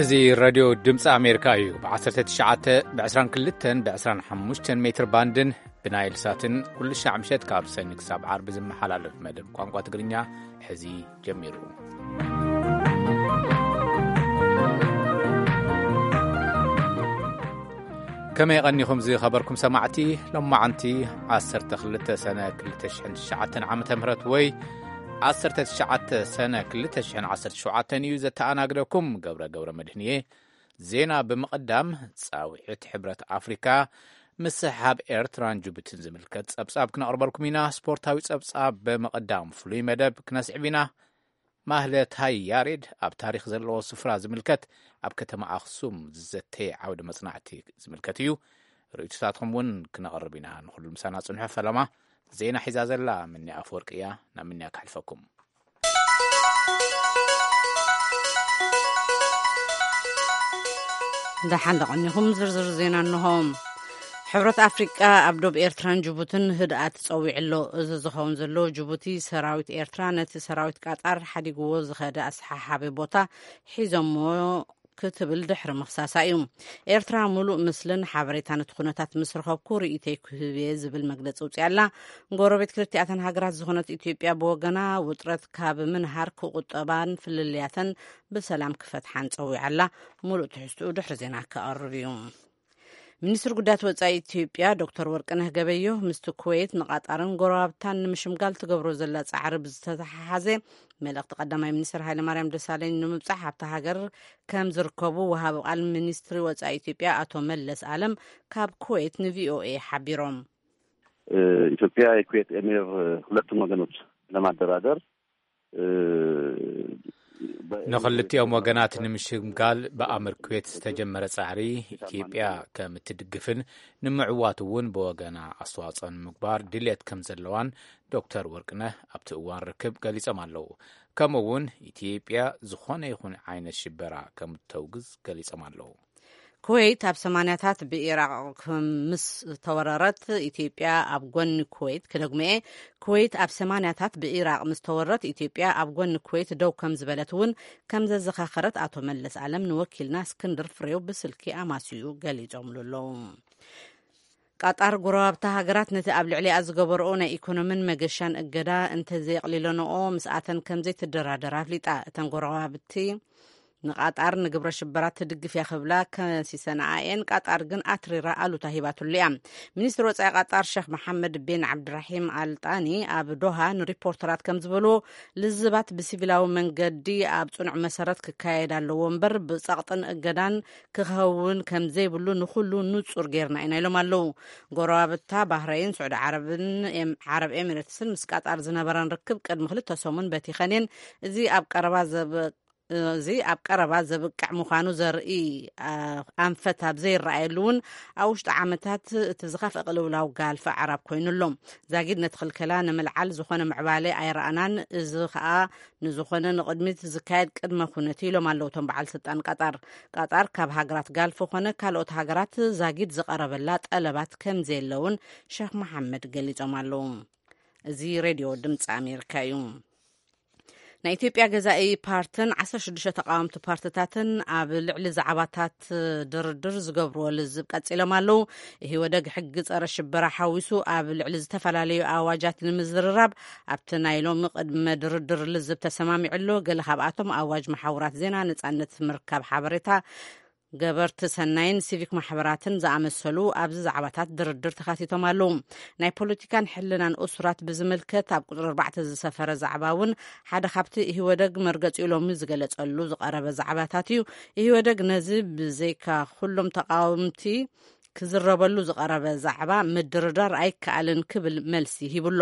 እዚ ሬድዮ ድምፂ ኣሜሪካ እዩ። ብ19፣ ብ22፣ ብ25 ሜትር ባንድን ብናይል ሳትን ኩሉ ሻዕ ምሸት ካብ ሰኒ ክሳብ ዓርቢ ዝመሓላለፍ መደብ ቋንቋ ትግርኛ ሕዚ ጀሚሩ። ከመይ ቀኒኹም ዝኸበርኩም ሰማዕቲ? ሎማዓንቲ 12 ሰነ 2009 ዓመተ ምህረት ወይ 19 ሰነ 2017 እዩ። ዘተኣናግደኩም ገብረ ገብረ መድህን እየ። ዜና ብምቕዳም፣ ጻውዒት ሕብረት ኣፍሪካ ምስሕሓብ ኤርትራን ጅቡቲን ዝምልከት ጸብጻብ ክነቕርበልኩም ኢና። ስፖርታዊ ጸብጻብ ብምቕዳም፣ ፍሉይ መደብ ክነስዕብ ኢና። ማህለታይ ያሬድ ኣብ ታሪኽ ዘለዎ ስፍራ ዝምልከት፣ ኣብ ከተማ ኣኽሱም ዝዘተየ ዓውደ መጽናዕቲ ዝምልከት እዩ። ርእይቶታትኩም እውን ክነቕርብ ኢና። ንኹሉ ምሳና ጽንሑ። ፈለማ ዜና ሒዛ ዘላ ምንያ ኣፈወርቂ እያ። ናብ ምንያ ክሕልፈኩም። ደሓን ደቐኒኹም። ዝርዝር ዜና እንሆ። ሕብረት ኣፍሪቃ ኣብ ዶብ ኤርትራን ጅቡትን ህድኣት ጸዊዑ ኣሎ። እዚ ዝኸውን ዘሎ፣ ጅቡቲ ሰራዊት ኤርትራ ነቲ ሰራዊት ቃጣር ሓዲግዎ ዝኸደ ኣሰሓሓቢ ቦታ ሒዞሞ ክትብል ድሕሪ ምኽሳሳ እዩ። ኤርትራ፣ "ሙሉእ ምስልን ሓበሬታን እቲ ኩነታት ምስ ረኸብኩ፣ ርእይተይ ክህብ እየ" ዝብል መግለጺ ኣውጺኣ ኣላ። ጎረቤት ክልቲኣተን ሃገራት ዝኾነት ኢትዮጵያ ብወገና፣ ውጥረት ካብ ምንሃር ክቑጠባን ፍልልያተን ብሰላም ክፈትሓን ጸዊዓ ኣላ። ሙሉእ ትሕዝትኡ ድሕሪ ዜና ክቐርብ እዩ። ሚኒስትር ጉዳያት ወጻኢ ኢትዮጵያ ዶክተር ወርቅነህ ገበየሁ፣ ምስቲ ኩዌት፣ ንቓጣርን ጎረባብታን ንምሽምጋል ትገብሮ ዘላ ጻዕሪ ብዝተተሓሓዘ፣ መልእኽቲ ቀዳማይ ሚኒስትር ሃይለማርያም ደሳለኝ ንምብጻሕ ኣብታ ሃገር ከም ዝርከቡ ወሃቢ ቃል ሚኒስትሪ ወጻኢ ኢትዮጵያ ኣቶ መለስ ኣለም ካብ ኩዌት ንቪኦኤ ሓቢሮም። ኢትዮጵያ የኩዌት ኤሚር ሁለቱም ወገኖች ለማደራደር፣ እ፣ በ- ንኽልቲኦም ወገናት ንምሽምጋል ብኣምር ኩዌት ዝተጀመረ ጻዕሪ፣ ኢትዮጵያ ከም እትድግፍን ንምዕዋት እውን ብወገና ኣስተዋጽኦ ንምግባር ድልየት ከም ዘለዋን ዶክተር ወርቅነህ ኣብቲ እዋን ርክብ ገሊጾም ኣለዉ። ከምኡ እውን ኢትዮጵያ ዝኾነ ይኹን ዓይነት ሽበራ ከም እተውግዝ ገሊጾም ኣለዉ። ኩዌት ኣብ ሰማንያታት ብኢራቕ ምስ ተወረረት፣ ኢትዮጵያ ኣብ ጎኒ ኩዌት፣ ክደግምኤ፣ ኩዌት ኣብ ሰማንያታት ብኢራቕ ምስ ተወረት፣ ኢትዮጵያ ኣብ ጎኒ ኩዌት ደው ከም ዝበለት እውን ከም ዘዘኻኸረት ኣቶ መለስ ኣለም ንወኪልና እስክንድር ፍሬው ብስልኪ ኣማስዩ ገሊጾምሉ ኣለዉ። ቃጣር፣ ጎረባብታ ሃገራት ነቲ ኣብ ልዕሊኣ ዝገበርኦ ናይ ኢኮኖምን መገሻን እገዳ እንተዘየቕሊለንኦ፣ ምስኣተን ከም ዘይትደራደር ኣፍሊጣ። እተን ጎረባብቲ ንቃጣር ንግብረ ሽበራ ትድግፍ እያ ክብላ ከሲሰንኣ እየን። ቃጣር ግን ኣትሪራ ኣሉታ ሂባትሉ እያ። ሚኒስትር ወጻኢ ቃጣር ሸኽ መሓመድ ቢን ዓብድራሒም ኣልጣኒ ኣብ ዶሃ ንሪፖርተራት ከም ዝበልዎ፣ ልዝባት ብሲቪላዊ መንገዲ ኣብ ጽኑዕ መሰረት ክካየድ ኣለዎ እምበር፣ ብጸቕጥን እገዳን ክኸውን ከም ዘይብሉ ንኹሉ ንጹር ጌርና ኢና ኢሎም ኣለዉ። ጎረባብታ ባህረይን ስዑዲ ዓረብን ኤም- ዓረብ ኤሚሬትስን ምስ ቃጣር ዝነበረን ርክብ ቅድሚ ክልተ ሰሙን በቲኸን እየን። እዚ ኣብ ቀረባ ዘብ- እዚ ኣብ ቀረባ ዘብቅዕ ምዃኑ ዘርኢ፣ ኣ፣ ኣንፈት ኣብ ዘይረኣየሉ እውን፣ ኣብ ውሽጢ ዓመታት እቲ ዝኸፍአ ቅልውላው ጋልፍ ኣዕራብ ኮይኑ ኣሎ። ዛጊድ ነቲ ክልከላ ንምልዓል ዝኾነ ምዕባለ ኣይረኣናን። እዚ ኸኣ ንዝኾነ ንቕድሚት ዝካየድ ቅድመ ኩነት ኢሎም ኣለዉ እቶም በዓል ስልጣን ቀጣር። ቀጣር ካብ ሃገራት ጋልፍ ኾነ ካልኦት ሃገራት ዛጊድ ዝቐረበላ ጠለባት ከም ዘየለውን ሸኽ መሓመድ ገሊጾም ኣለዉ። እዚ ሬድዮ ድምፂ ኣሜሪካ እዩ። ናይ ኢትዮጵያ ገዛኢ ፓርትን 16 ተቃወምቲ ፓርትታትን ኣብ ልዕሊ ዛዕባታት ድርድር ዝገብርዎ ልዝብ ቀጺሎም ኣለዉ። ኢህወደግ ሕጊ ጸረ ሽበራ ሓዊሱ ኣብ ልዕሊ ዝተፈላለዩ ኣዋጃት ንምዝርራብ ኣብቲ ናይ ሎሚ ቅድመ ድርድር ልዝብ ተሰማሚዑ ኣሎ። ገለ ካብኣቶም ኣዋጅ መሓውራት ዜና፣ ነጻነት ምርካብ ሓበሬታ፣ ገበርቲ ሰናይን ሲቪክ ማሕበራትን ዝኣመሰሉ ኣብዚ ዛዕባታት ድርድር ተኻቲቶም ኣለዉ። ናይ ፖለቲካን ሕልናን እሱራት ብዝምልከት ኣብ ቁጽሪ 4 ዝሰፈረ ዛዕባ እውን ሓደ ካብቲ ኢህወደግ መርገጺኡ ሎሚ ዝገለጸሉ ዝቐረበ ዛዕባታት እዩ። ኢህወደግ ነዚ ብዘይካ ኩሎም ተቃወምቲ ክዝረበሉ ዝቐረበ ዛዕባ ምድርዳር ኣይከኣልን ክብል መልሲ ሂብሎ።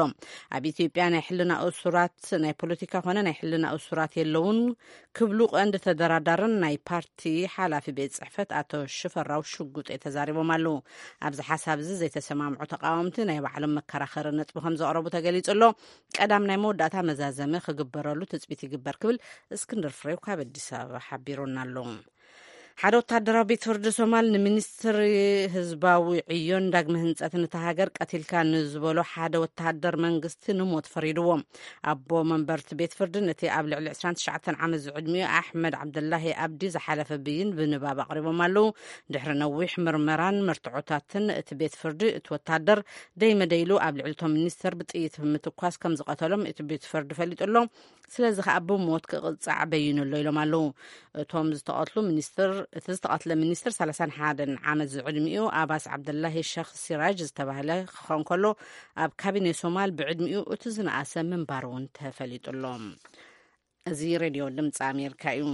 ኣብ ኢትዮጵያ ናይ ሕልና እሱራት፣ ናይ ፖለቲካ ኮነ ናይ ሕልና እሱራት የለውን ክብሉ ቀንዲ ተደራዳርን ናይ ፓርቲ ሓላፊ ቤት ጽሕፈት ኣቶ ሽፈራው ሽጉጤ ተዛሪቦም ኣለዉ። ኣብዚ ሓሳብ እዚ ዘይተሰማምዑ ተቃወምቲ ናይ ባዕሎም መከራኸሪ ነጥቢ ከም ዘቕረቡ ተገሊጹ ኣሎ። ቀዳም ናይ መወዳእታ መዛዘሚ ክግበረሉ ትጽቢት ይግበር ክብል እስክንድር ፍሬው ካብ ኣዲስ ኣበባ ሓቢሩና ኣሎ። ሓደ ወታደራዊ ቤት ፍርዲ ሶማል ንሚኒስትሪ ህዝባዊ ዕዮን ዳግመ ህንጸትን እታ ሃገር ቀቲልካ ንዝበሎ ሓደ ወታደር መንግስቲ ንሞት ፈሪድዎ። ኣቦ መንበርቲ ቤት ፍርዲ ነቲ ኣብ ልዕሊ ዕስራን ትሽዓተን ዓመት ዝዕድሚኡ ኣሕመድ ዓብደላሂ ኣብዲ ዝሓለፈ ብይን ብንባብ ኣቕሪቦም ኣለዉ። ድሕሪ ነዊሕ ምርመራን መርትዖታትን እቲ ቤት ፍርዲ እቲ ወታደር ደይመደይሉ ኣብ ልዕሊ እቶም ሚኒስተር ብጥይት ብምትኳስ ከም ዝቐተሎም እቲ ቤት ፍርዲ ፈሊጡ ኣሎ። ስለዚ ከኣ ብሞት ክቕጻዕ በይኑ ኣሎ ኢሎም ኣለዉ። እቶም ዝተቐትሉ ሚኒስትር እቲ ዝተቐትለ ሚኒስትር ሰላሳን ሓደን ዓመት ዝዕድሚኡ ኣባስ ዓብደላሂ ሸኽ ሲራጅ ዝተባህለ ክኸውን ከሎ፣ ኣብ ካቢኔ ሶማል ብዕድሚኡ እቲ ዝነኣሰ ምንባሩ እውን ተፈሊጡ ኣሎ። እዚ ሬድዮ ድምፂ ኣሜሪካ እዩ።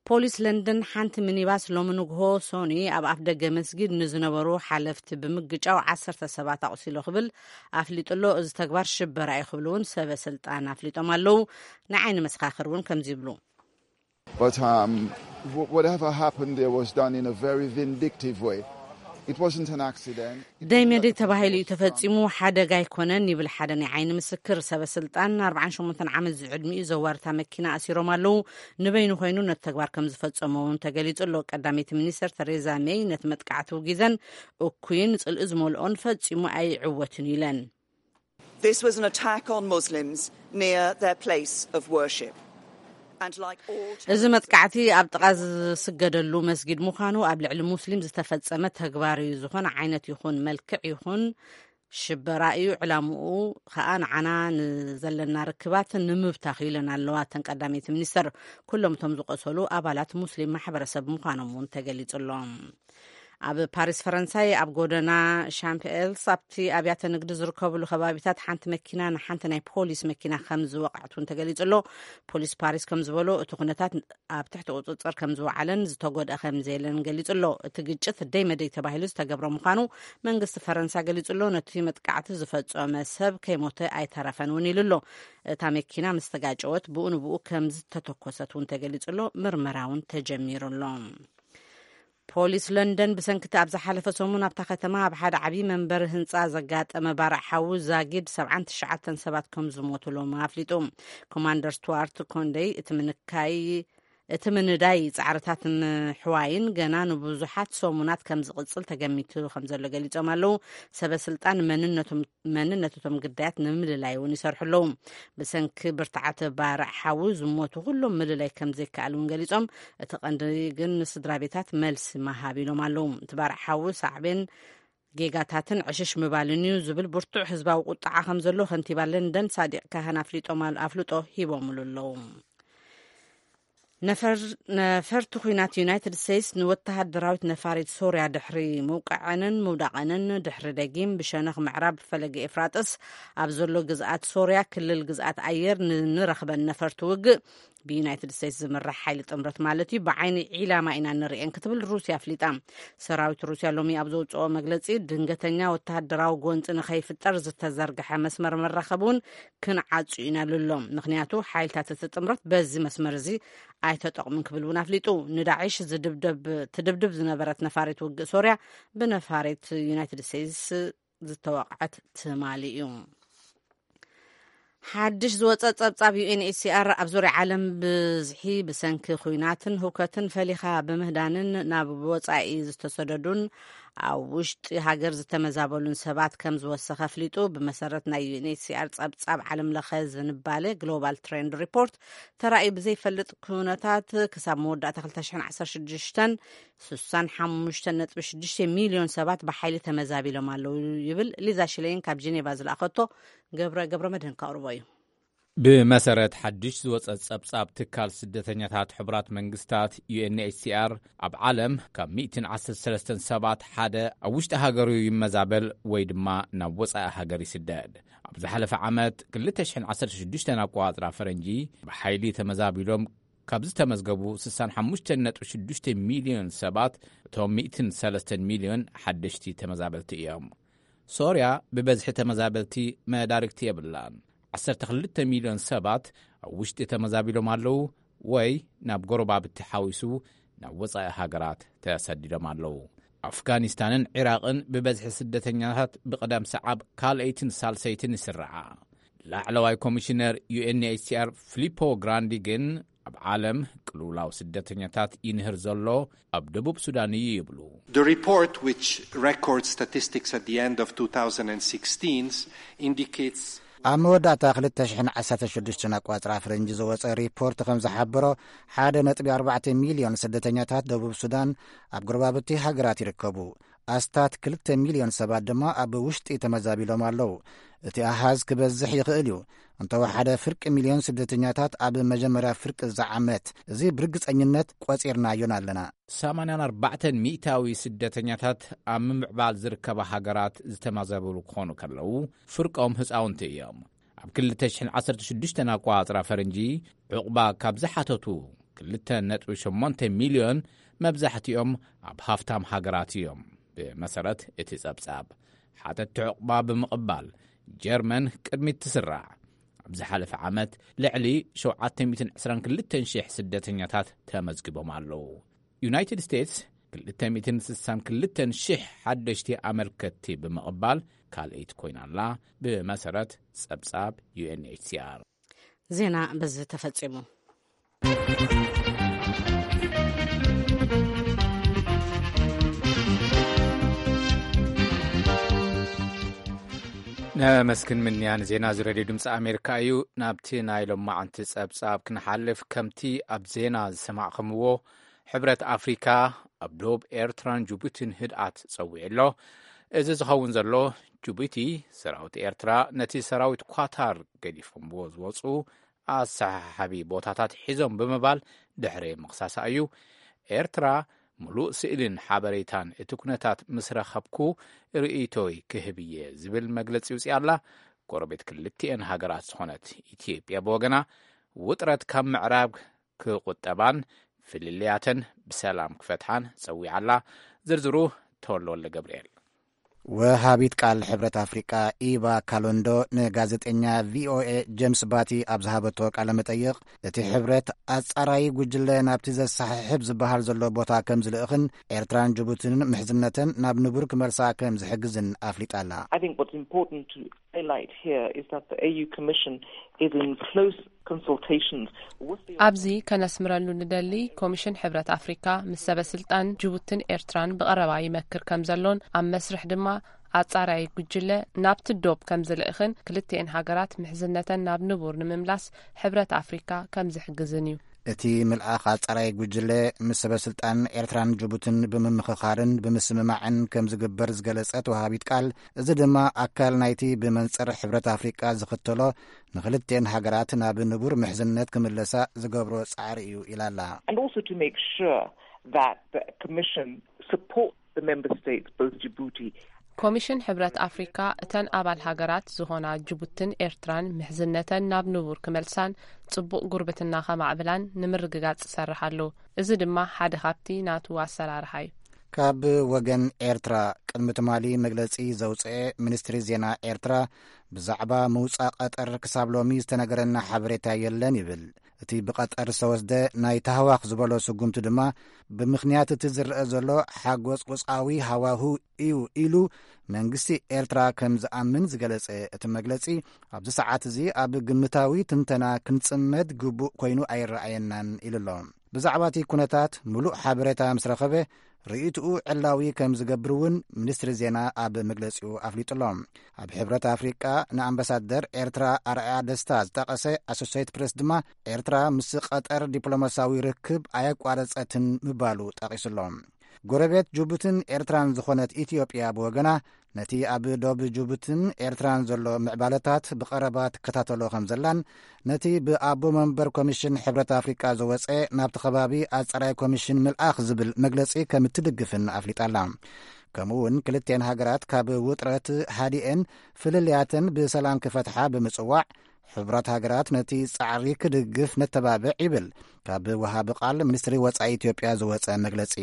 ፖሊስ ለንደን ሓንቲ ሚኒባስ ሎሚ ንግሆ ሶኒ ኣብ ኣፍ ደገ መስጊድ ንዝነበሩ ሓለፍቲ ብምግጫው ዓሰርተ ሰባት ኣቑሲሎ ክብል ኣፍሊጡ ኣሎ። እዚ ተግባር ሽበራ እዩ ክብሉ እውን ሰበ ስልጣን ኣፍሊጦም ኣለዉ። ንዓይኒ መሰኻኽር እውን ከምዚ ይብሉ። But um, wh- whatever happened there was done in a very vindictive way. It wasn't an accident. It wasn't ደይመደይ like a ተባሂሉ እዩ forced ተፈጺሙ፣ ሓደጋ ኣይኮነን ይብል ሓደ ናይ ዓይኒ ምስክር። ሰበ ስልጣን ኣርባዓን ሸሞንተን ዓመት ዝዕድሚኡ ዘዋርታ መኪና ኣሲሮም ኣለዉ። ንበይኑ ኮይኑ ነቲ ተግባር ከም ዝፈጸሞ እውን ተገሊጹ ኣሎ። ቀዳመይቲ ሚኒስተር ተሬዛ ሜይ ነቲ መጥቃዕቲ ውጊዘን እኩይን ጽልኢ ዝመልኦን ፈጺሙ ኣይዕወትን ኢለን። This was an attack on Muslims near their place of worship. And like all እዚ መጥቃዕቲ ኣብ ጥቓ ዝስገደሉ መስጊድ ምዃኑ ኣብ ልዕሊ ሙስሊም ዝተፈጸመ ተግባር እዩ። ዝኾነ ዓይነት ይኹን መልክዕ ይኹን ሽበራ እዩ። ዕላምኡ ከኣ ንዓና ንዘለና ርክባት ንምብታኽ ኢለን ኣለዋ እተን ቀዳመይቲ ሚኒስተር። ኩሎም እቶም ዝቆሰሉ ኣባላት ሙስሊም ማሕበረሰብ ምዃኖም እውን ተገሊጹ ኣሎ። ኣብ ፓሪስ ፈረንሳይ ኣብ ጎደና ሻምፕኤልስ ኣብቲ ኣብያተ ንግዲ ዝርከብሉ ከባቢታት ሓንቲ መኪና ንሓንቲ ናይ ፖሊስ መኪና ከም ዝወቕዐት እውን ተገሊጹ ኣሎ። ፖሊስ ፓሪስ ከም ዝበሎ እቲ ኩነታት ኣብ ትሕቲ ቁጽጽር ከም ዝወዓለን ዝተጎድአ ከም ዘየለን ገሊጹ ኣሎ። እቲ ግጭት ደይ መደይ ተባሂሉ ዝተገብረ ምዃኑ መንግስቲ ፈረንሳ ገሊጹ ኣሎ። ነቲ መጥቃዕቲ ዝፈጸመ ሰብ ከይሞተ ኣይተረፈን እውን ኢሉ ኣሎ። እታ መኪና ምስ ተጋጨወት ብኡ ንብኡ ከም ዝተተኮሰት እውን ተገሊጹ ኣሎ። ምርመራ እውን ተጀሚሩ ኣሎ። ፖሊስ ለንደን ብሰንክቲ ኣብ ዝሓለፈ ሰሙን ኣብታ ከተማ ኣብ ሓደ ዓብዪ መንበሪ ህንፃ ዘጋጠመ ባርዕ ሓዊ ዛጊድ ሰብዓን ትሽዓተን ሰባት ከም ዝሞቱ ሎሚ ኣፍሊጡ። ኮማንደር ስቱዋርት ኮንደይ እቲ ምንካይ እቲ ምንዳይ ጻዕርታት ምሕዋይን ገና ንብዙሓት ሰሙናት ከም ዝቕጽል ተገሚቱ ከም ዘሎ ገሊጾም ኣለዉ። ሰበ ስልጣን መንነቶም መንነት እቶም ግዳያት ንምልላይ እውን ይሰርሑ ኣለዉ። ብሰንኪ ብርትዓት ባርዕ ሓዊ ዝሞቱ ኩሎም ምልላይ ከም ዘይከኣል እውን ገሊጾም፣ እቲ ቀንዲ ግን ንስድራ ቤታት መልሲ ምሃብ ኢሎም ኣለዉ። እቲ ባርዕ ሓዊ ሳዕቤን ጌጋታትን ዕሽሽ ምባልን እዩ ዝብል ብርቱዕ ህዝባዊ ቁጥዓ ከም ዘሎ ከንቲባ ለንደን ሳዲቅ ካህን ኣፍሊጦም ኣል- ኣፍልጦ ሂቦምሉ ኣለዉ። ነፈር- ነፈርቲ ኩናት ዩናይትድ ስቴትስ ንወተሃደራዊት ነፋሪት ሶርያ ድሕሪ ምውቃዐንን ምውዳቐንን ድሕሪ ደጊም ብሸነኽ ምዕራብ ፈለገ ኤፍራጥስ ኣብ ዘሎ ግዝኣት ሶርያ ክልል ግዝኣት ኣየር ንንረኽበን ነፈርቲ ውግእ ብዩናይትድ ስቴትስ ዝምራሕ ሓይሊ ጥምረት ማለት እዩ ብዓይኒ ዒላማ ኢና ንርእየን ክትብል ሩስያ ኣፍሊጣ። ሰራዊት ሩስያ ሎሚ ኣብ ዘውፅኦ መግለፂ ድንገተኛ ወተሃደራዊ ጎንፂ ንኸይፍጠር ዝተዘርግሐ መስመር መራኸቢ እውን ክንዓጹ ኢና ኢሉ ኣሎ። ምኽንያቱ ሓይልታት እቲ ጥምረት በዚ መስመር እዚ ኣይተጠቕሙን ክብል እውን ኣፍሊጡ። ንዳዒሽ ዝድብደብ ትድብድብ ዝነበረት ነፋሪት ውግእ ሶርያ ብነፋሪት ዩናይትድ ስቴትስ ዝተወቕዐት ትማሊ እዩ። ሓድሽ ዝወፀ ፀብፃብ ዩኤንኤችሲኣር ኣብ ዙርያ ዓለም ብዝሒ ብሰንኪ ኩናትን ህውከትን ፈሊኻ ብምህዳንን ናብ ወፃኢ ዝተሰደዱን ኣብ ውሽጢ ሃገር ዝተመዛበሉን ሰባት ከም ዝወሰኸ ኣፍሊጡ። ብመሰረት ናይ ዩኤንኤችሲኣር ፀብፃብ ዓለም ለኸ ዝንባለ ግሎባል ትሬንድ ሪፖርት ተራእዩ ብዘይፈልጥ ኩነታት ክሳብ መወዳእታ ክልተ ሽሕን ዓሰርተ ሽዱሽተን ስሳን ሓሙሽተን ነጥቢ ሽዱሽተ ሚልዮን ሰባት ብሓይሊ ተመዛቢሎም ኣለዉ ይብል። ሊዛ ሽሌን ካብ ጄኔቫ ዝለኣኸቶ ገብረ ገብረ መድህን ከቕርቦ እዩ። ብመሰረት ሓድሽ ዝወጸ ጸብጻብ ትካል ስደተኛታት ሕቡራት መንግስታት ዩኤንኤችሲኣር ኣብ ዓለም ካብ ሚእትን ዓሰርተ ሰለስተን ሰባት ሓደ ኣብ ውሽጢ ሃገሩ ይመዛበል ወይ ድማ ናብ ወጻኢ ሃገር ይስደድ። ኣብ ዝሓለፈ ዓመት ክልተ ሽሕን ዓሰርተ ሽዱሽተን ኣቆጻጽራ ፈረንጂ ብሓይሊ ተመዛቢሎም ካብ ዝተመዝገቡ ስሳን ሓሙሽተን ነጥቢ ሽዱሽተ ሚልዮን ሰባት እቶም ሚእትን ሰለስተን ሚልዮን ሓደሽቲ ተመዛበልቲ እዮም። ሶርያ ብበዝሒ ተመዛበልቲ መዳርግቲ የብላን። ዓሰርተ ክልተ ሚልዮን ሰባት ኣብ ውሽጢ ተመዛቢሎም ኣለዉ ወይ ናብ ጎረባብቲ ሓዊሱ ናብ ወጻኢ ሃገራት ተሰዲዶም ኣለዉ። ኣፍጋኒስታንን ዒራቕን ብበዝሒ ስደተኛታት ብቕደም ሰዓብ ካልኣይትን ሳልሰይትን ይስርዓ። ላዕለዋይ ኮሚሽነር ዩኤንኤችሲኣር ፊሊፖ ግራንዲ ግን ኣብ ዓለም ቅልውላው ስደተኛታት ይንህር ዘሎ ኣብ ደቡብ ሱዳን እዩ ይብሉ። The report, which records statistics at the end of two thousand sixteen, indicates ኣብ መወዳእታ ክልተ ሽሕን ዓሰርተ ሽዱሽተን ኣቋጽራ ፈረንጂ ዝወጸ ሪፖርት ከም ዝሓበሮ፣ ሓደ ነጥቢ ኣርባዕተ ሚልዮን ስደተኛታት ደቡብ ሱዳን ኣብ ጎረባብቲ ሃገራት ይርከቡ። ኣስታት ክልተ ሚልዮን ሰባት ድማ ኣብ ውሽጢ ተመዛቢሎም ኣለዉ። እቲ ኣሃዝ ክበዝሕ ይኽእል እዩ። እንተወሓደ ፍርቂ ሚልዮን ስደተኛታት ኣብ መጀመርያ ፍርቂ እዚ ዓመት። እዚ ብርግጸኝነት ቆጺርናዮን ኣለና። ሰማንያን ኣርባዕተን ሚእታዊ ስደተኛታት ኣብ ምምዕባል ዝርከባ ሃገራት ዝተመዛበሉ ክኾኑ ከለዉ፣ ፍርቆም ህፃውንቲ እዮም። ኣብ ክልተ ሽሕን ዓሰርተ ሽዱሽተን ኣቋጽራ ፈረንጂ ዕቑባ ካብ ዝሓተቱ ክልተ ነጥቢ ሸሞንተ ሚልዮን መብዛሕትኦም ኣብ ሃፍታም ሃገራት እዮም። ብመሰረት እቲ ጸብጻብ፣ ሓተትቲ ዕቑባ ብምቕባል ጀርመን ቅድሚት ትስራዕ። ኣብ ዝሓለፈ ዓመት ልዕሊ ሸውዓተ ሚእትን ዕስራን ክልተን ሽሕ ስደተኛታት ተመዝጊቦም ኣለዉ። ዩናይትድ ስቴትስ ክልተ ሚእትን ስሳን ክልተን ሽሕ ሓደሽቲ ኣመልከትቲ ብምቕባል ካልኣይቲ ኮይና ኣላ። ብመሰረት ጸብጻብ ዩ ኤን ኤች ሲ ኣር። ዜና በዚ ተፈጺሙ። ነመስግን ምንያ ንዜና እዚ ሬድዮ ድምፂ ኣሜሪካ እዩ። ናብቲ ናይ ሎማዓንቲ ጸብጻብ ክንሓልፍ፣ ከምቲ ኣብ ዜና ዝሰማዕኹምዎ፣ ሕብረት ኣፍሪካ ኣብ ዶብ ኤርትራን ጅቡቲን ህድኣት ጸዊዑ ኣሎ። እዚ ዝኸውን ዘሎ፣ ጅቡቲ ሰራዊት ኤርትራ ነቲ ሰራዊት ኳታር ገዲፎምዎ ዝወጹ ኣሰሓሓቢ ቦታታት ሒዞም ብምባል ድሕሪ ምኽሳሳ እዩ። ኤርትራ፣ ምሉእ ስእልን ሓበሬታን እቲ ኩነታት ምስ ረኸብኩ፣ ርእይቶይ ክህብ እየ ዝብል መግለጺ ውጽኣ ኣላ። ጎረቤት ክልቲኤን ሃገራት ዝኾነት ኢትዮጵያ ብወገና፣ ውጥረት ካብ ምዕራብ ክቑጠባን ፍልልያተን ብሰላም ክፈትሓን ጸዊዓ ኣላ። ዝርዝሩ፣ ተወልደ ወልደ ገብርኤል። ወሃቢት ቃል ሕብረት ኣፍሪቃ ኢቫ ካሎንዶ ንጋዜጠኛ ቪ ኦ ኤ ጀምስ ባቲ ኣብ ዝሃበቶ ቃለ መጠይቕ፣ እቲ ሕብረት ኣጻራዪ ጉጅለ ናብቲ ዘሰሓሕብ ዝበሃል ዘሎ ቦታ ከም ዝልእኽን ኤርትራን ጅቡቲን ምሕዝነተን ናብ ንቡር ክመልሳ ከም ዝሕግዝን ኣፍሊጣ ኣላ። I think what's important to highlight here is that the A U Commission is in close consultations with the ኣብዚ ከነስምረሉ ንደሊ፣ ኮሚሽን ሕብረት ኣፍሪካ ምስ ሰበ ስልጣን ጅቡትን ኤርትራን ብቐረባ ይመክር ከም ዘሎን፣ ኣብ መስርሕ ድማ ኣጻራይ ጉጅለ ናብቲ ዶብ ከም ዝልእኽን፣ ክልቲኤን ሃገራት ምሕዝነተን ናብ ንቡር ንምምላስ ሕብረት ኣፍሪካ ከም ዝሕግዝን እዩ። እቲ ምልኣኽ ኣጻራይ ጉጅለ ምስ ሰበ ስልጣን ኤርትራን ጅቡትን ብምምኽኻርን ብምስምማዕን ከም ዝግበር ዝገለጸት ወሃቢት ቃል፣ እዚ ድማ ኣካል ናይቲ ብመንጽር ሕብረት ኣፍሪቃ ዝኽተሎ ንኽልቲኤን ሃገራት ናብ ንቡር ምሕዝነት ክምለሳ ዝገብሮ ጻዕሪ እዩ ኢላ ኣላ። And also to make sure that the Commission supports the member states, both Djibouti ኮሚሽን ሕብረት ኣፍሪካ እተን ኣባል ሃገራት ዝኾና ጅቡትን ኤርትራን ምሕዝነተን ናብ ንቡር ክመልሳን ጽቡቕ ጉርብትና ከማዕብላን ንምርግጋጽ ይሰርሕ ኣሎ። እዚ ድማ ሓደ ካብቲ ናቱ ኣሰራርሓ እዩ። ካብ ወገን ኤርትራ ቅድሚ ትማሊ መግለጺ ዘውጽኤ ሚኒስትሪ ዜና ኤርትራ፣ ብዛዕባ ምውጻእ ቀጠር ክሳብ ሎሚ ዝተነገረና ሓበሬታ የለን ይብል። እቲ ብቐጠር ዝተወስደ ናይ ታህዋኽ ዝበሎ ስጉምቲ ድማ፣ ብምኽንያት እቲ ዝረአ ዘሎ ሓጎጽ ቁጽዓዊ ሃዋሁ እዩ ኢሉ መንግስቲ ኤርትራ ከም ዝኣምን ዝገለጸ እቲ መግለጺ፣ ኣብዚ ሰዓት እዚ ኣብ ግምታዊ ትንተና ክንጽመድ ግቡእ ኮይኑ ኣይረኣየናን ኢሉ ኣሎ። ብዛዕባ እቲ ኩነታት ምሉእ ሓበሬታ ምስ ረኸበ፣ ርእይትኡ ዕላዊ ከም ዝገብር እውን ሚኒስትሪ ዜና ኣብ መግለጺኡ ኣፍሊጡ ኣሎ። ኣብ ሕብረት ኣፍሪቃ ንኣምባሳደር ኤርትራ ኣርኣያ ደስታ ዝጠቐሰ ኣሶሴይት ፕሬስ ድማ፣ ኤርትራ ምስ ቀጠር ዲፕሎማሲያዊ ርክብ ኣየቋረጸትን ምባሉ ጠቒሱ ኣሎ። ጎረቤት ጅቡትን ኤርትራን ዝኾነት ኢትዮጵያ ብወገና፣ ነቲ ኣብ ዶብ ጅቡትን ኤርትራን ዘሎ ምዕባለታት ብቐረባ ትከታተሎ ከም ዘላን፣ ነቲ ብኣቦ መንበር ኮሚሽን ሕብረት ኣፍሪቃ ዝወጸ ናብቲ ከባቢ ኣጻራይ ኮሚሽን ምልኣኽ ዝብል መግለጺ ከም እትድግፍን ኣፍሊጣ ኣላ። ከምኡ እውን ክልቲኤን ሃገራት ካብ ውጥረት ሃዲኤን ፍልልያተን ብሰላም ክፈትሓ ብምጽዋዕ፣ ሕቡራት ሃገራት ነቲ ጻዕሪ ክድግፍ ነተባብዕ ይብል ካብ ወሃቢ ቃል ሚኒስትሪ ወጻኢ ኢትዮጵያ ዝወጸ መግለጺ።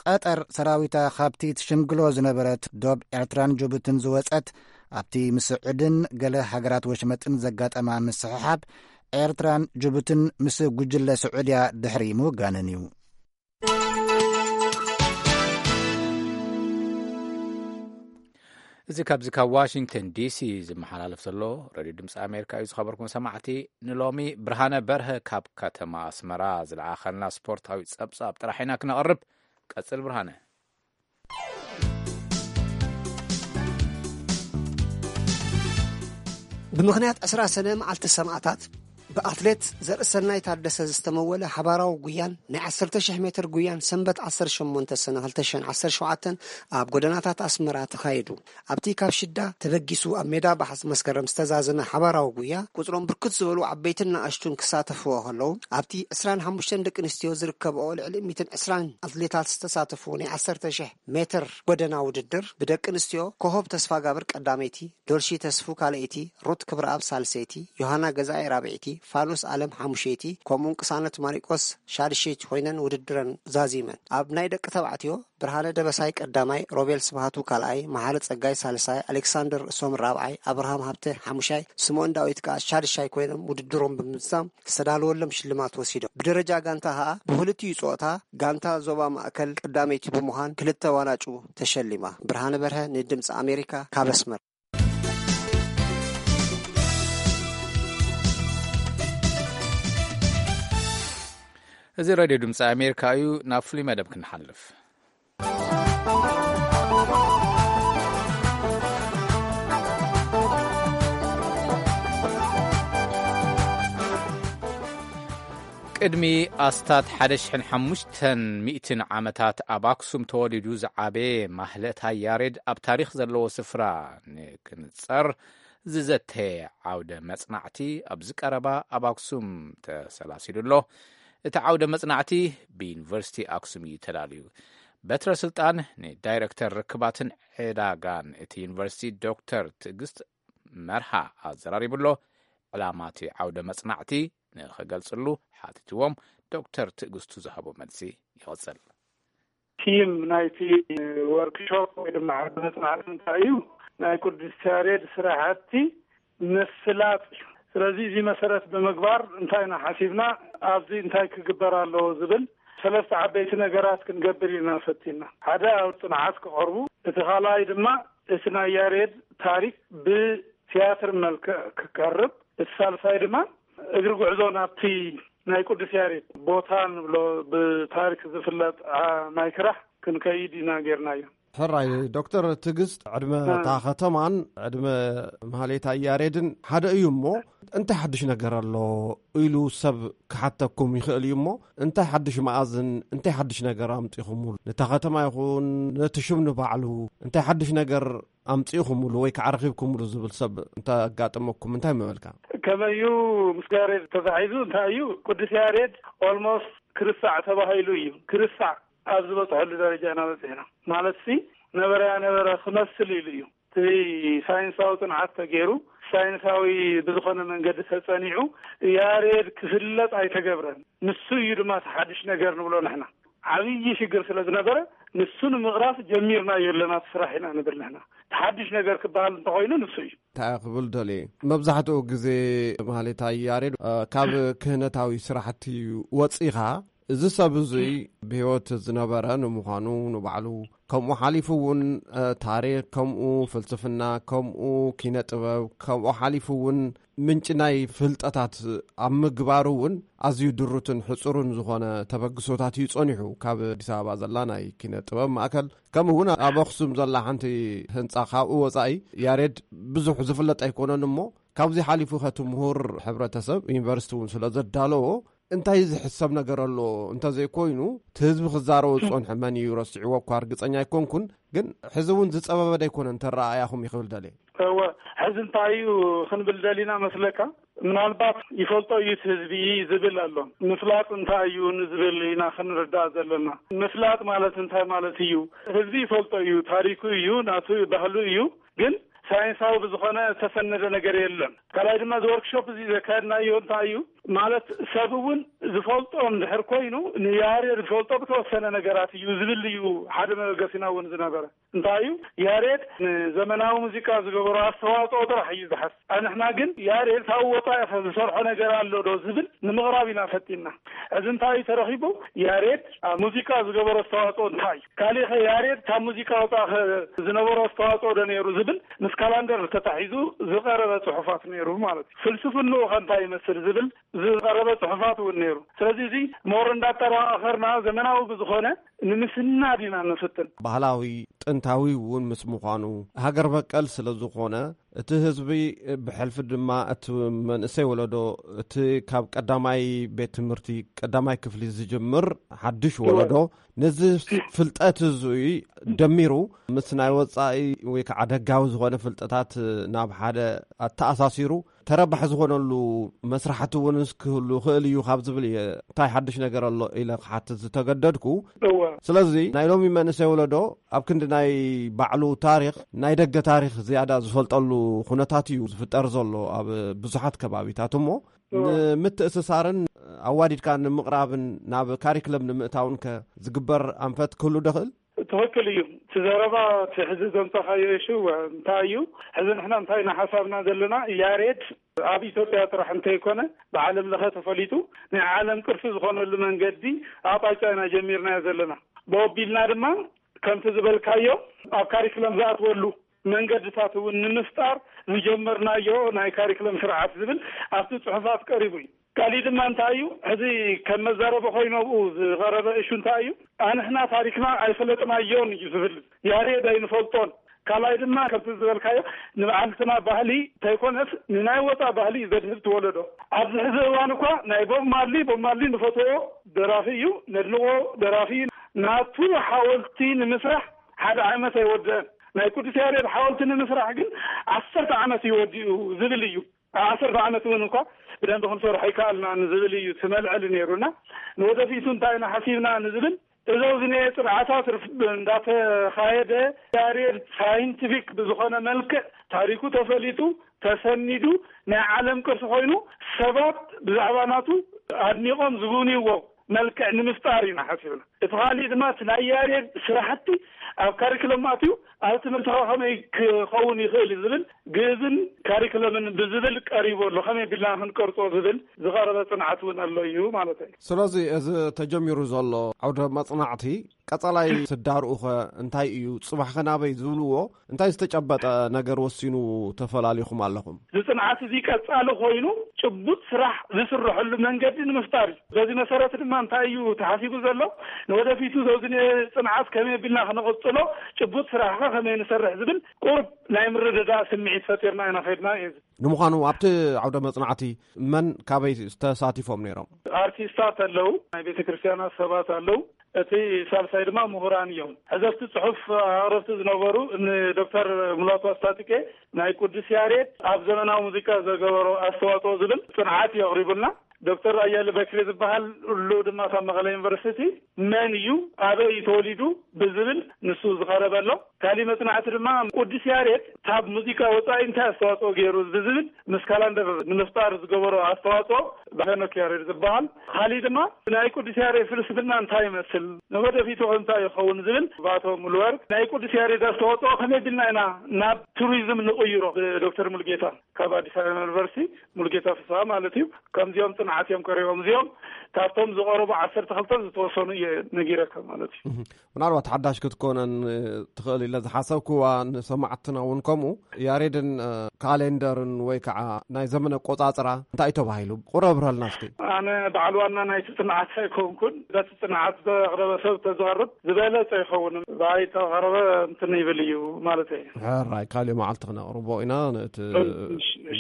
ቀጠር ሰራዊታ ካብቲ ትሽምግሎ ዝነበረት ዶብ ኤርትራን ጅቡትን ዝወጸት፣ ኣብቲ ምስዑድን ገለ ሃገራት ወሽመጥን ዘጋጠማ ምስሕሓብ ኤርትራን ጅቡትን ምስ ጉጅለ ስዑድያ ድሕሪ ምውጋነን እዩ። እዚ ካብዚ ካብ ዋሽንግተን ዲሲ ዝመሓላለፍ ዘሎ ሬድዮ ድምፂ ኣሜሪካ እዩ። ዝኸበርኩም ሰማዕቲ፣ ንሎሚ ብርሃነ በርሀ ካብ ከተማ ኣስመራ ዝለኣኸልና ስፖርታዊ ጸብጻብ ጥራሕ ኢና ክነቕርብ። ቀጽል ብርሃነ። ብምኽንያት ዕስራ ሰነ መዓልቲ ሰማእታት፣ ብኣትሌት ዘርእሰናይ ታደሰ ዝተመወለ ሓባራዊ ጉያን ናይ ዓሰርተ ሽሕ ሜትር ጉያን ሰንበት ዓሰርተ ሸሞንተ ሰነ ክልተ ሽሕን ዓሰርተ ሸውዓተን ኣብ ጎደናታት ኣስመራ ተኻይዱ። ኣብቲ ካብ ሽዳ ተበጊሱ ኣብ ሜዳ ባሕስ መስከረም ዝተዛዘመ ሓባራዊ ጉያ፣ ቁጽሮም ብርክት ዝበሉ ዓበይትን ንኣሽቱን ክሳተፍዎ ከለዉ፣ ኣብቲ ዕስራን ሓሙሽተን ደቂ ኣንስትዮ ዝርከብኦ ልዕሊ ሚእትን ዕስራን ኣትሌታት ዝተሳተፉ ናይ ዓሰርተ ሽሕ ሜትር ጎደና ውድድር፣ ብደቂ ኣንስትዮ ኮሆብ ተስፋጋብር ቀዳመይቲ፣ ዶልሺ ተስፉ ካልኣይቲ፣ ሩት ክብረኣብ ሳልሰይቲ፣ ዮሃና ገዛኢ ራብዐይቲ፣ ፋኑስ ኣለም ሓሙሸይቲ፣ ከምኡውን ቅሳነት ማሪቆስ ሻድሸይቲ ኮይነን ውድድረን ዛዚመን። ኣብ ናይ ደቂ ተባዕትዮ፣ ብርሃነ ደበሳይ ቀዳማይ፣ ሮቤል ስብሃቱ ካልኣይ፣ መሓሪ ጸጋይ ሳልሳይ፣ ኣሌክሳንደር ርእሶም ራብዓይ፣ ኣብርሃም ሃብተ ሓሙሻይ፣ ስምኦን ዳዊት ከኣ ሻድሻይ ኮይኖም ውድድሮም ብምዝዛም ዝተዳለወሎም ሽልማት ወሲዶም። ብደረጃ ጋንታ ከኣ ብክልቲኡ ጾታ ጋንታ ዞባ ማእከል ቀዳመይቲ ብምዃን ክልተ ዋናጩ ተሸሊማ። ብርሃነ በርሀ ንድምፂ ኣሜሪካ ካብ ኣስመራ። እዚ ሬድዮ ድምፂ ኣሜሪካ እዩ። ናብ ፍሉይ መደብ ክንሓልፍ። ቅድሚ ኣስታት ሓደ ሽሕን ሓሙሽተን ሚእትን ዓመታት ኣብ ኣክሱም ተወሊዱ ዝዓበየ ማህለታይ ያሬድ ኣብ ታሪኽ ዘለዎ ስፍራ ንክንጸር ዝዘተየ ዓውደ መጽናዕቲ ኣብዚ ቀረባ ኣብ ኣክሱም ተሰላሲሉ ኣሎ። እቲ ዓውደ መጽናዕቲ ብዩኒቨርሲቲ ኣክሱም እዩ ተዳልዩ። በትረ ስልጣን ንዳይረክተር ርክባትን ዕዳጋን እቲ ዩኒቨርሲቲ ዶክተር ትዕግስት መርሃ ኣዘራሪቡ ኣሎ። ዕላማ እቲ ዓውደ መጽናዕቲ ንኽገልጽሉ ሓቲትዎም፣ ዶክተር ትዕግስቱ ዝሃቦ መልሲ ይቕጽል። ቲም ናይቲ ወርክሾፕ ወይ ድማ ዓውደ መጽናዕቲ እንታይ እዩ? ናይ ቅዱስ ያሬድ ስራሕቲ ምፍላጥ እዩ። ስለዚ እዚ መሰረት ብምግባር እንታይ ኢና ሓሲብና፣ ኣብዚ እንታይ ክግበር ኣለዎ ዝብል ሰለስተ ዓበይቲ ነገራት ክንገብር ኢና ፈቲና። ሓደ ኣብ ጽንዓት ክቐርቡ፣ እቲ ካልኣይ ድማ እቲ ናይ ያሬድ ታሪክ ብትያትር መልክዕ ክቀርብ፣ እቲ ሳልሳይ ድማ እግሪ ጉዕዞ ናብቲ ናይ ቅዱስ ያሬድ ቦታ ንብሎ ብታሪክ ዝፍለጥ ዓ-፣ ማይ ክራሕ ክንከይድ ኢና ጌርናዮ። ሕራይ ዶክተር ትዕግስት፣ ዕድመ እ። እታ ከተማን ዕድመ ማህሌታይ ያሬድን ሓደ እዩ እሞ፣ እንታይ ሓድሽ ነገር ኣሎ ኢሉ ሰብ ክሓተኩም ይኽእል እዩ እሞ፣ እንታይ ሓድሽ መኣዝን እንታይ ሓድሽ ነገር ኣምጺኹምሉ? ነታ ከተማ ይኹን ነቲ ሽም ንባዕሉ እንታይ ሓድሽ ነገር ኣምጺእኹምሉ ወይ ከዓ ረኺብኩምሉ ዝብል ሰብ እንተጋጠመኩም እንታይ ምበልካ? ከመዩ ምስ ያሬድ ተታሒዙ እንታይ እዩ፣ ቅዱስ ያሬድ ኦልሞስት ክርሳዕ ተባሂሉ እዩ። ክርሳዕ ኣብ ዝበፅሐሉ ደረጃ ኢና በፂሕና። ማለት ሲ ነበረ ያነበረ ክመስል ኢሉ እዩ። እቲ ሳይንሳዊ ፅንዓት ተገይሩ፣ ሳይንሳዊ ብዝኾነ መንገዲ ተፀኒዑ ያሬድ ክፍለጥ ኣይተገብረን። ንሱ እዩ ድማ እቲ ሓድሽ ነገር ንብሎ ንሕና። ዓብዪ ሽግር ስለ ዝነበረ ንሱ ንምቕራፍ ጀሚርናዮ ኣለና እቲ ስራሕ ኢና ንብል ንሕና። እቲ ሓድሽ ነገር ክበሃል እንተኾይኑ ንሱ እዩ። እንታይ ክብል ደልየ፣ መብዛሕትኡ ግዜ ማህሌታይ ያሬድ፣ እ፣ ካብ ክህነታዊ ስራሕቲ ወፂኻ፣ እዚ ሰብ እዙይ ብህይወት ዝነበረ ንምዃኑ ንባዕሉ፣ ከምኡ ሓሊፉ እውን፣ እ፣ ታሪክ፣ ከምኡ ፍልስፍና፣ ከምኡ ኪነ ጥበብ፣ ከምኡ ሓሊፉ እውን ምንጪ ናይ ፍልጠታት ኣብ ምግባሩ እውን ኣዝዩ ድሩትን ሕጹርን ዝኾነ ተበግሶታት እዩ ጸኒሑ። ካብ ኣዲስ ኣበባ ዘላ ናይ ኪነ ጥበብ ማእከል፣ ከምኡ እውን ኣብ ኣኽሱም ዘላ ሓንቲ ህንጻ ካብኡ ወጻኢ ያሬድ ብዙሕ ዝፍለጥ ኣይኮነን እሞ፣ ካብዚ ሓሊፉ ከቲ ምሁር ሕብረተሰብ ዩኒቨርሲቲ እውን ስለ ዘዳለዎ፣ እንታይ ዝሕሰብ ነገር ኣሎ? እንተዘይኮይኑ፣ እቲ ህዝቢ ክዛረቦ ዝጸንሐ መን እዩ ረሲዕዎ እኳ ርግጸኛ ኣይኮንኩን፣ ግን ሕዚ እውን ዝጸበበ ደይኮነ እንተ ረኣያኹም ይኽብል ደልየ። እወ፣ ሕዚ እንታይ እዩ ክንብል ደሊና መስለካ? ምናልባት ይፈልጦ እዩ እቲ ህዝቢ ዝብል ኣሎ። ምፍላጥ እንታይ እዩ ንዝብል ኢና ክንርዳእ ዘለና። ምፍላጥ ማለት እንታይ ማለት እዩ? ህዝቢ ይፈልጦ እዩ፣ ታሪኩ እዩ፣ ናቱ ባህሉ እዩ። ግን ሳይንሳዊ ብዝኾነ ዝተሰነደ ነገር የለን። ካልኣይ ድማ እዚ ወርክሾፕ እዚ ዘካየድናዮ እንታይ እዩ? ማለት ሰብ እውን ዝፈልጦ እንድሕር ኮይኑ ንያሬድ ዝፈልጦ ብተወሰነ ነገራት እዩ ዝብል እዩ ሓደ መበገሲና እውን ዝነበረ። እንታይ እዩ ያሬድ ንዘመናዊ ሙዚቃ ዝገበሮ ኣስተዋፅኦ ጥራሕ እዩ ዝሓስ። ኣንሕና ግን ያሬድ ካብ ወፃኢ ከ ዝሰርሖ ነገር ኣሎ ዶ ዝብል ንምቕራብ ኢና ፈጢና። እዚ እንታይ እዩ ተረኺቡ? ያሬድ ኣብ ሙዚቃ ዝገበሮ ኣስተዋፅኦ እንታይ እዩ? ካሊእ ከ ያሬድ ካብ ሙዚቃ ወፃኢ ከ ዝነበሮ ኣስተዋፅኦ ዶ ነይሩ ዝብል ምስ ካላንደር ተታሒዙ ዝቐረበ ፅሑፋት ነይሩ ማለት እዩ። ፍልስፍንኡ ከ እንታይ ይመስል ዝብል ዝቐረበ ፅሑፋት እውን ነይሩ። ስለዚ እዚ ሞር እንዳጠራኸርና ዘመናዊ ብዝኾነ ንምስናድ ኢና ንፍትን። ባህላዊ ጥንታዊ እውን ምስ ምዃኑ ሃገር በቀል ስለ ዝኾነ እቲ ህዝቢ ብሕልፊ ድማ እቲ መንእሰይ ወለዶ እቲ ካብ ቀዳማይ ቤት ትምህርቲ ቀዳማይ ክፍሊ ዝጅምር ሓድሽ ወለዶ ነዚ ፍልጠት እዙይ ደሚሩ ምስ ናይ ወፃኢ ወይ ከዓ ደጋዊ ዝኾነ ፍልጠታት ናብ ሓደ ኣተኣሳሲሩ ተረባሒ ዝኾነሉ መስራሕቲ እውን ክህሉ ይኽእል እዩ ካብ ዝብል እየ እንታይ ሓድሽ ነገር ኣሎ ኢለ ክሓትት ዝተገደድኩ። እወ። ስለዚ ናይ ሎሚ መንእሰይ ወለዶ ኣብ ክንዲ ናይ ባዕሉ ታሪኽ ናይ ደገ ታሪኽ ዝያዳ ዝፈልጠሉ ኩነታት እዩ ዝፍጠር ዘሎ ኣብ ብዙሓት ከባቢታት እሞ እወ። ንምትእስሳርን ኣዋዲድካ ንምቕራብን ናብ ካሪክለም ንምእታውን ከ ዝግበር ኣንፈት ክህሉ ደኽእል? ትኽክል እዩ። እቲ ዘረባ እቲ ሕዚ ዘምፀኻዮ እሹ እንታይ እዩ? ሕዚ ንሕና እንታይ ኢና ሓሳብና ዘለና? ያሬድ ኣብ ኢትዮጵያ ጥራሕ እንተይኮነ ብዓለም ለኸ ተፈሊጡ ናይ ዓለም ቅርሲ ዝኾነሉ መንገዲ ኣቕጣጫ ኢና ጀሚርናዮ ዘለና። ብኦቢልና ድማ ከምቲ ዝበልካዮ ኣብ ካሪክለም ዝኣትወሉ መንገድታት እውን ንምፍጣር ዝጀመርናዮ ናይ ካሪክለም ስርዓት ዝብል ኣብቲ ፅሑፋት ቀሪቡ እዩ። ካሊእ ድማ እንታይ እዩ ሕዚ ከም መዛረቢ ኮይኑ ኣብኡ ዝቐረበ እሹ እንታይ እዩ? ኣንሕና ታሪክና ኣይፈለጥናዮን እዩ ዝብል። ያሬድ ኣይንፈልጦን። ካልኣይ ድማ ከምቲ ዝበልካዮ ንባዕልትና ባህሊ እንተይኮነስ ንናይ ወፃ ባህሊ እዩ ዘድህብ ትወለዶ። ኣብዚ ሕዚ እዋን እኳ ናይ ቦብ ማርሊ ቦብ ማርሊ ንፈትዎ ደራፊ እዩ፣ ነድንቆ ደራፊ እዩ። ናቱ ሓወልቲ ንምስራሕ ሓደ ዓመት ኣይወደአን። ናይ ቅዱስ ያሬድ ሓወልቲ ንምስራሕ ግን ዓሰርተ ዓመት እዩ ወዲኡ ዝብል እዩ። ኣብ ዓሰርተ ዓመት እውን እንኳ ብደንቢ ክንሰርሖ ኣይከኣልናን ዝብል እዩ እቲ መልዕሊ ነይሩና። ንወደፊቱ እንታይ ኢና ሓሲብና ንዝብል እዞም ዝኔ ፅንዓታት ርፍ- እንዳተኻየደ ያሬድ ሳይንቲፊክ ብዝኾነ መልክዕ ታሪኩ ተፈሊጡ ተሰኒዱ ናይ ዓለም ቅርሲ ኮይኑ ሰባት ብዛዕባ ናቱ ኣድኒቖም ዝጉብንይዎ መልክዕ ንምፍጣር ኢና ሓሲብና። እቲ ካሊእ ድማ እቲ ናይ ያሬድ ስራሕቲ ኣብ ካሪክለም ኣትዩ ኣብ ትምህርቲ ከ ከመይ ክኸውን ይኽእል እዩ ዝብል ግእዝን ካሪክለምን ብዝብል ቀሪቡ ኣሎ። ከመይ ቢልና ክንቀርጾ ዝብል ዝቐረበ ጽንዓት እውን ኣሎ እዩ ማለት እዩ። ስለዚ እዚ ተጀሚሩ ዘሎ ዓውደ መጽናዕቲ ቀጻላይ ስዳርኡ ኸ እንታይ እዩ? ጽባሕ ኸ ናበይ ዝብልዎ እንታይ ዝተጨበጠ ነገር ወሲኑ ተፈላሊኹም ኣለኹም? እዚ ጽንዓት እዚ ቀጻሊ ኮይኑ ጭቡጥ ስራሕ ዝስርሐሉ መንገዲ ንምፍጣር እዩ። በዚ መሰረት ድማ እንታይ እዩ ተሓሲቡ ዘሎ? ንወደፊቱ ዘውዝን ጽንዓት ከመይ ቢልና ክነቐጽሎ፣ ጭቡጥ ስራሕ ኸ ከመይ ንሰርሕ ዝብል ቁርብ ናይ ምርድዳእ ስምዒት ፈጢርና ኢና ኸድና እዩ። ንምዃኑ ኣብቲ ዓውደ መጽናዕቲ መን ካበይ ተሳቲፎም ነይሮም? ኣርቲስታት ኣለዉ፣ ናይ ቤተ ክርስቲያናት ሰባት ኣለዉ። እቲ ሳልሳይ ድማ ምሁራን እዮም። ሕዘፍቲ ጽሑፍ ኣቕረብቲ ዝነበሩ እኒ ዶክተር ሙላቱ ኣስታጥቄ ናይ ቅዱስ ያሬድ ኣብ ዘመናዊ ሙዚቃ ዘገበሮ ኣስተዋጽኦ ዝብል ጽንዓት እዩ ኣቕሪቡልና። ዶክተር ኣያለ በክሪ ዝበሃል እሉ ድማ ካብ መቐለ ዩኒቨርሲቲ መን እዩ ኣበይ እዩ ተወሊዱ ብዝብል ንሱ ዝቐረበ ኣሎ። ካሊእ መጽናዕቲ ድማ ቅዱስ ያሬድ ካብ ሙዚቃ ወጻኢ እንታይ ኣስተዋጽኦ ገይሩ ብዝብል ምስ ካላንደር ንምፍጣር ዝገበሮ ኣስተዋጽኦ ብሄኖክ ያሬድ ዝበሃል። ካሊእ ድማ ናይ ቅዱስ ያሬድ ፍልስፍና እንታይ ይመስል፣ ንወደፊቱ ከ እንታይ ይኸውን ዝብል ብኣቶ ሙሉወርቅ። ናይ ቅዱስ ያሬድ ኣስተዋጽኦ ከመይ ቢልና ኢና ናብ ቱሪዝም ንቕይሮ ብዶክተር ሙልጌታ ካብ ኣዲስ ኣበባ ዩኒቨርሲቲ ሙልጌታ ፍስሃ ማለት እዩ። ከምዚኦም ጽንዓት እዮም ቀሪቦም። እዚኦም ካብቶም ዝቐረቡ ዓሰርተ ክልተ ዝተወሰኑ እየ ነጊረካ ማለት እዩ። ምናልባት ሓዳሽ ክትኮነን ትኽእል ኢለ ዝሓሰብክዋ ንሰማዕትና እውን ከምኡ ያሬድን ካሌንደርን ወይ ከዓ ናይ ዘመን ኣቆጻጽራ እንታይ እዩ ተባሂሉ? ቁረብረልና እስኪ። ኣነ በዓል ዋና ናይቲ ጽንዓት ኣይኮንኩን። በቲ ጽንዓት ዘቕረበ ሰብ ተዝቐርብ ዝበለጸ ይኸውን። ብኣይ ተቐረበ እንትን ይብል እዩ ማለት እዩ። ሕራይ ካሊእ መዓልቲ ክነቕርቦ ኢና ነቲ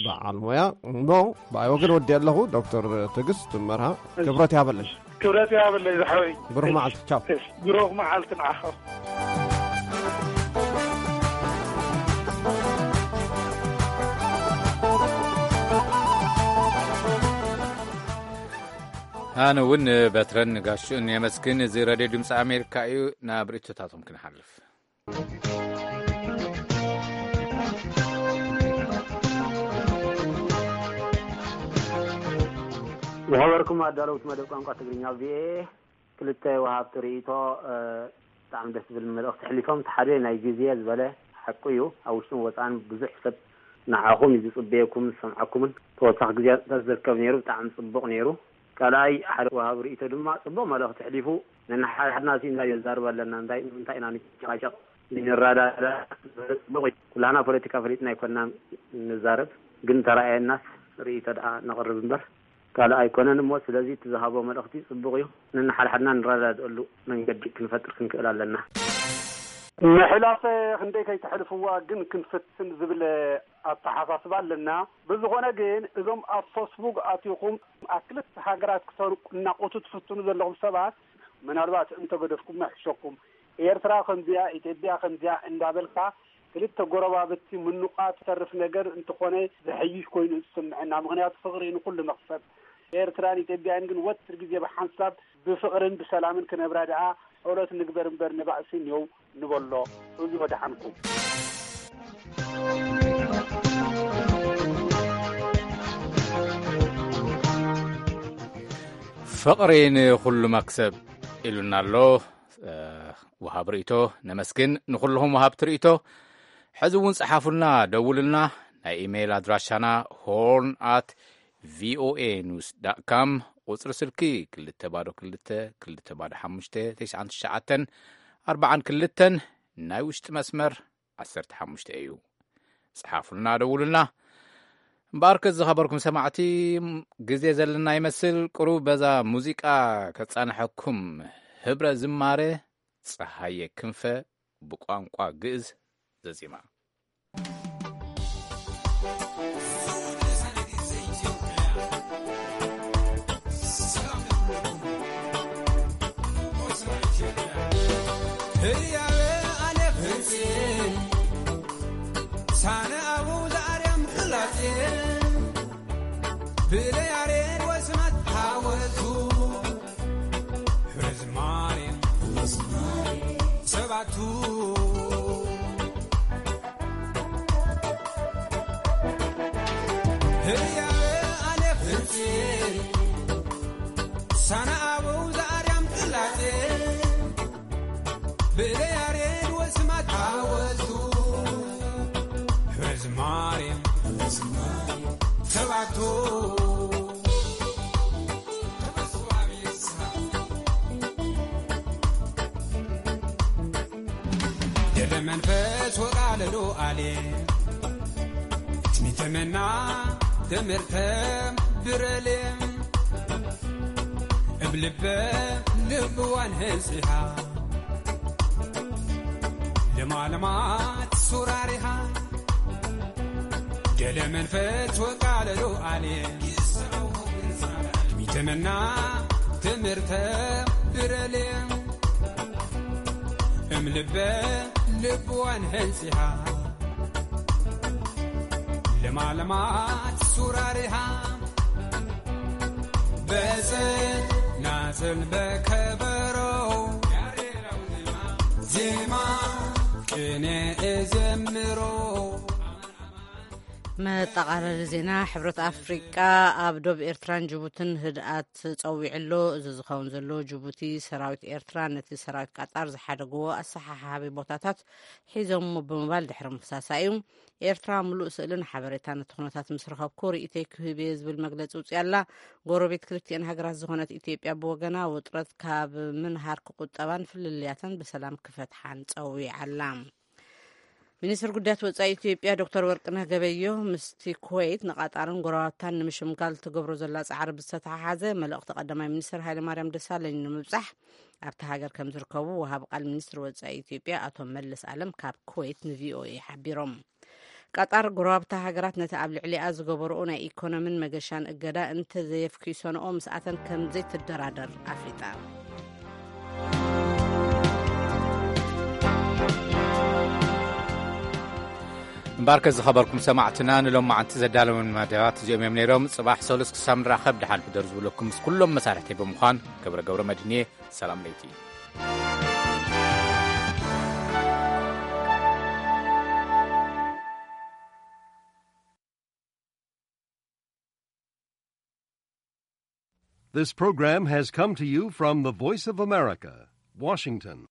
በዓል ሞያ እሞ ብኣይ ወገን ወዲ ኣለኹ። ዶክተር ትዕግስት መርሃ ክብረት ያበለሽ። ክብረት ያበለሽ ዝሓወይ። ብሩኽ መዓልቲ። ቻው። ብሩኽ መዓልቲ ንዓኻ። ኣነ እውን በትረን ጋሽኡን የመስግን። እዚ ረድዮ ድምፂ ኣሜሪካ እዩ። ናብ ርእቶታቶም ክንሓልፍ። ዝኸበርኩም ኣዳለውቲ መደብ ቋንቋ ትግርኛ ቪኦኤ፣ ክልተ ወሃብቲ ርእይቶ ብጣዕሚ ደስ ዝብል መልእኽቲ ኣሕሊፎም። እቲ ሓደ ናይ ግዜ ዝበለ ሓቁ እዩ። ኣብ ውሽጥን ወፃእን ብዙሕ ሰብ ንዓኹም እዩ ዝፅበየኩምን ዝሰምዓኩምን። ተወሳኺ ግዜያት ዝርከብ ነይሩ፣ ብጣዕሚ ፅቡቕ ነይሩ። ካልኣይ ሓደ ወሃቢ ርእይቶ ድማ ፅቡቕ መልእኽቲ ኣሕሊፉ። ነንሓድሓድና ሲ እንታይ ነዛርብ ኣለና፣ እንታይ እንታይ ኢና ንጨቃጨቅ ንረዳዳ? ፅቡቕ እዩ። ኩላህና ፖለቲካ ፈሊጥና ኣይኮንና ንዛረብ፣ ግን ተረኣየናስ ርእይቶ ደኣ ነቕርብ እምበር ካልእ ኣይኮነን እሞ። ስለዚ እቲ ዝሃቦ መልእኽቲ ፅቡቕ እዩ። ነንሓድሓድና ንረዳድኣሉ መንገዲ ክንፈጥር ክንክእል ኣለና። ምሕላፈ ክንደይ ከይተሕልፍዋ ግን ክንፍትን ዝብል ኣተሓሳስባ ኣለና። ብዝኾነ ግን እዞም ኣብ ፈስቡክ ኣቲኹም ኣብ ክልተ ሃገራት ክተናቁቱ ትፍትኑ ዘለኹም ሰባት ምናልባት እንተገደፍኩም ይሕሸኩም። ኤርትራ ከምዚያ፣ ኢትዮጵያ ከምዚያ እንዳበልካ ክልተ ጎረባብቲ ምኑቓት ተርፍ ነገር እንተኾነ ዘሐይሽ ኮይኑ ዝስምዐና። ምኽንያቱ ፍቕሪ ንኹሉ መኽሰብ። ኤርትራን ኢትዮጵያን ግን ወትር ግዜ ብሓንሳብ ብፍቕርን ብሰላምን ክነብራ ደኣ ጸሎት ንግበር እምበር ንባእሲ ኔው ንበሎ። እዚ ወደሓንኩም። ፍቕሪ ንኹሉ መክሰብ ኢሉና ኣሎ። እ፣ ወሃብ ርእይቶ ነመስግን። ንኹልኹም ወሃብቲ ርእይቶ ሕዚ እውን ጸሓፉልና፣ ደውሉልና። ናይ ኢሜይል ኣድራሻና ሆርን ኣት ቪኦኤ ኒውስ ዳት ካም፣ ቁጽሪ ስልኪ ክልተ ባዶ ክልተ ክልተ ባዶ ሓሙሽተ ተስዓን ትሽዓተን ኣርባዓን ክልተን፣ ናይ ውሽጢ መስመር ዓሰርተ ሓሙሽተ እዩ። ጸሓፉልና፣ ደውሉልና። እምበኣርከስ ዝኸበርኩም ሰማዕቲ፣ ግዜ ዘለና ይመስል። ቁሩብ በዛ ሙዚቃ ከጻንሐኩም። ህብረ ዝማረ ጸሃየ ክንፈ ብቋንቋ ግእዝ ዘዚማ። ህያበ ኣነ ፍርፂ ሳነ ኣቡ ዘኣርያም ፍላፂ ብለያሬድ ወስማት ሓወቱ ህዝማሬ ሰባቱ ህያበ ኣነ ፍርፂ ሳነ ኣቡ ዘኣርያም ፍላፂ ብለያሬድ ወስማት ሓወቱ ህዝማሬ ሰባቱ ደለ መንፈስ ወቃለሉ ኣሌ ትሚተመና ትምህርተ ብረሌ እብ ልበ ልብዋን ህንጽሃ ለማለማት ሱራሪሃ ደለ መንፈስ ወቃለሉ ኣሌ ሚተመና ትምህርተ ብረሌ እም ልበ ልብዋን ሕንጺሃ ለማለማት ሱራሪሃ በጽናጽል በከበሮ ዜማ ቅኔ እዘምሮ። መጠቓለሊ ዜና። ሕብረት ኣፍሪቃ ኣብ ዶብ ኤርትራን ጅቡትን ህድኣት ጸዊዑ ኣሎ። እዚ ዝኸውን ዘሎ ጅቡቲ ሰራዊት ኤርትራ ነቲ ሰራዊት ቃጣር ዝሓደግዎ ኣሰሓሓቢ ቦታታት ሒዞምዎ ብምባል ድሕሪ ምኽሳሳ እዩ። ኤርትራ ምሉእ ስእልን ሓበሬታ ነቲ ኩነታት ምስ ረኸብኩ ርእይተይ ክህብ እየ ዝብል መግለጺ ኣውጺኣ ኣላ። ጎረቤት ክልቲኤን ሃገራት ዝኾነት ኢትዮጵያ ብወገና ውጥረት ካብ ምንሃር ክቁጠባን ፍልልያተን ብሰላም ክፈትሓን ጸዊዓ ኣላ። ሚኒስትር ጉዳያት ወጻኢ ኢትዮጵያ ዶክተር ወርቅነህ ገበዮ ምስቲ ኩወይት ንቃጣርን ጎረባብታን ንምሽምጋል ትገብሮ ዘላ ጻዕሪ ብዝተተሓሓዘ መልእኽቲ ቀዳማይ ሚኒስትር ሃይለማርያም ደሳለኝ ንምብጻሕ ኣብታ ሃገር ከም ዝርከቡ ወሃቢ ቃል ሚኒስትር ወጻኢ ኢትዮጵያ ኣቶ መለስ ኣለም ካብ ኩወይት ንቪኦኤ ሓቢሮም። ቃጣር ጎረባብታ ሃገራት ነቲ ኣብ ልዕሊኣ ዝገበርኦ ናይ ኢኮኖምን መገሻን እገዳ እንተዘየፍኪሰንኦ ምስኣተን ከም ዘይትደራደር ኣፍሊጣ። እምበኣርከ ዝኸበርኩም ሰማዕትና ንሎማዓንቲ ዘዳለወን መደባት እዚኦም እዮም ነይሮም። ጽባሕ ሰሉስ ክሳብ ንራኸብ ደሓን ሕደሩ ዝብለኩም ምስ ኩሎም መሳርሕተይ ብምዃን ገብረ ገብረ መድህን እየ። ሰላም ለይቲ። This program has come to you from the Voice of America, Washington.